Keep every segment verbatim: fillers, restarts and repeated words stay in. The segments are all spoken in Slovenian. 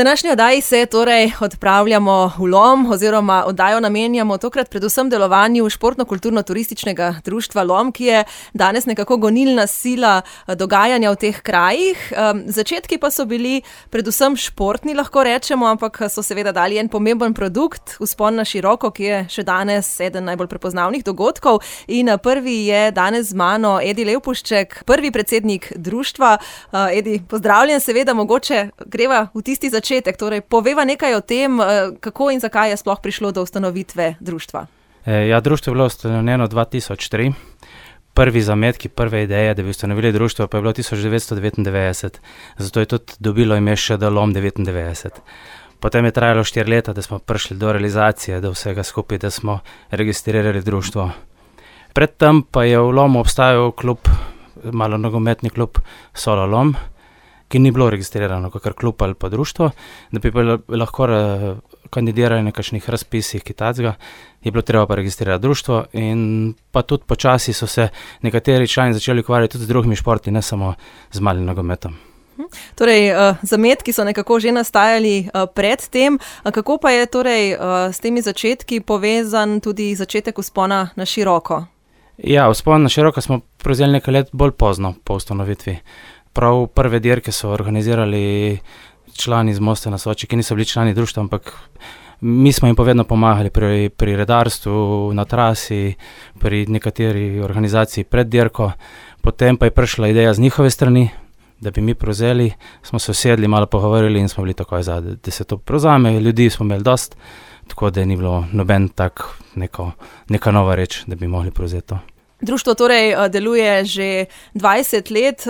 današnji oddaji se torej odpravljamo v Lom oziroma oddajo namenjamo tokrat predvsem delovanju športno-kulturno-turističnega društva Lom, ki je danes nekako gonilna sila dogajanja v teh krajih. Začetki pa so bili predvsem športni, lahko rečemo, ampak so seveda dali en pomemben produkt, Vzpon na široko, ki je še danes eden najbolj prepoznavnih dogodkov. In prvi je danes z mano Edi Levpušček, prvi predsednik društva. Edi, pozdravljen, seveda mogoče greva v tisti začetek, torej poveva nekaj o tem, kako in zakaj je sploh prišlo do ustanovitve društva. Ja, društvo je bilo ustanovljeno dva tisoč tri. Prvi zametki, prve ideje, da bi ustanovili društvo, pa je bilo tisoč devetsto devetindevetdeset. Zato je tudi dobilo ime še Lom devetindevetdeset. Potem je trajalo štiri leta, da smo prišli do realizacije, do vsega skupaj, da smo registrirali društvo. Predtem pa je v Lomu obstajal klub, malo nogometni klub Solo Lom, ki ni bilo registrirano kakor klub ali pa društvo, da bi pa lahko kandidirali na kakšnih razpisih kaj takega, je bilo treba pa registrirati društvo in pa tudi počasi so se nekateri člani začeli ukvarjati tudi z drugimi športi, ne samo z malim nogometom. Torej, zametki so nekako že nastajali pred tem. Kako pa je torej s temi začetki povezan tudi začetek Vzpona na široko? Ja, Vzpon na široko smo prevzeli nekaj let bolj pozno po ustanovitvi. Prav prve dirke so organizirali člani iz Mosta na Soči, ki niso bili člani društva, ampak mi smo jim pa vedno pomagali pri, pri redarstvu, na trasi, pri nekateri organizaciji pred dirko. Potem pa je prišla ideja z njihove strani, da bi mi prevzeli, smo se usedli, malo pogovorili in smo bili takoj za, da se to prevzame. Ljudi smo imeli dost, tako da ni bilo noben tak neko, neka nova reč, da bi mogli prevzeti to. Društvo torej deluje že dvajset let.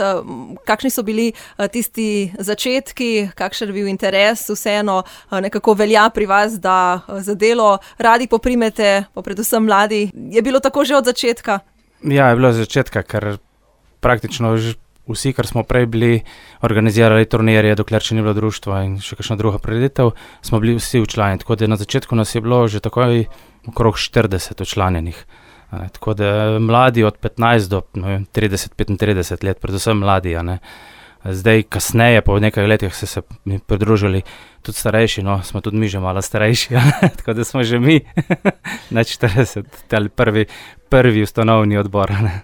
Kakšni so bili tisti začetki, kakšen je bil interes, vseeno nekako velja pri vas, da za delo radi poprimete, pa predvsem mladi. Je bilo tako že od začetka? Ja, je bilo od začetka, ker praktično vsi, kar smo prej bili, organizirali turnirje, dokler še ni bilo društva in še kakšna druga prireditev, smo bili vsi včlanjeni. Tako da na začetku nas je bilo že takoj okrog štirideset včlanjenih. Tako da mladi od petnajst do no, trideset petintrideset let, predvsem mladi. A ne. Zdaj, kasneje, po nekaj letih so se mi pridružili tudi starejši, no, smo tudi mi že malo starejši, tako da smo že mi na štirideset, ali prvi, prvi ustanovni odbor. Ne.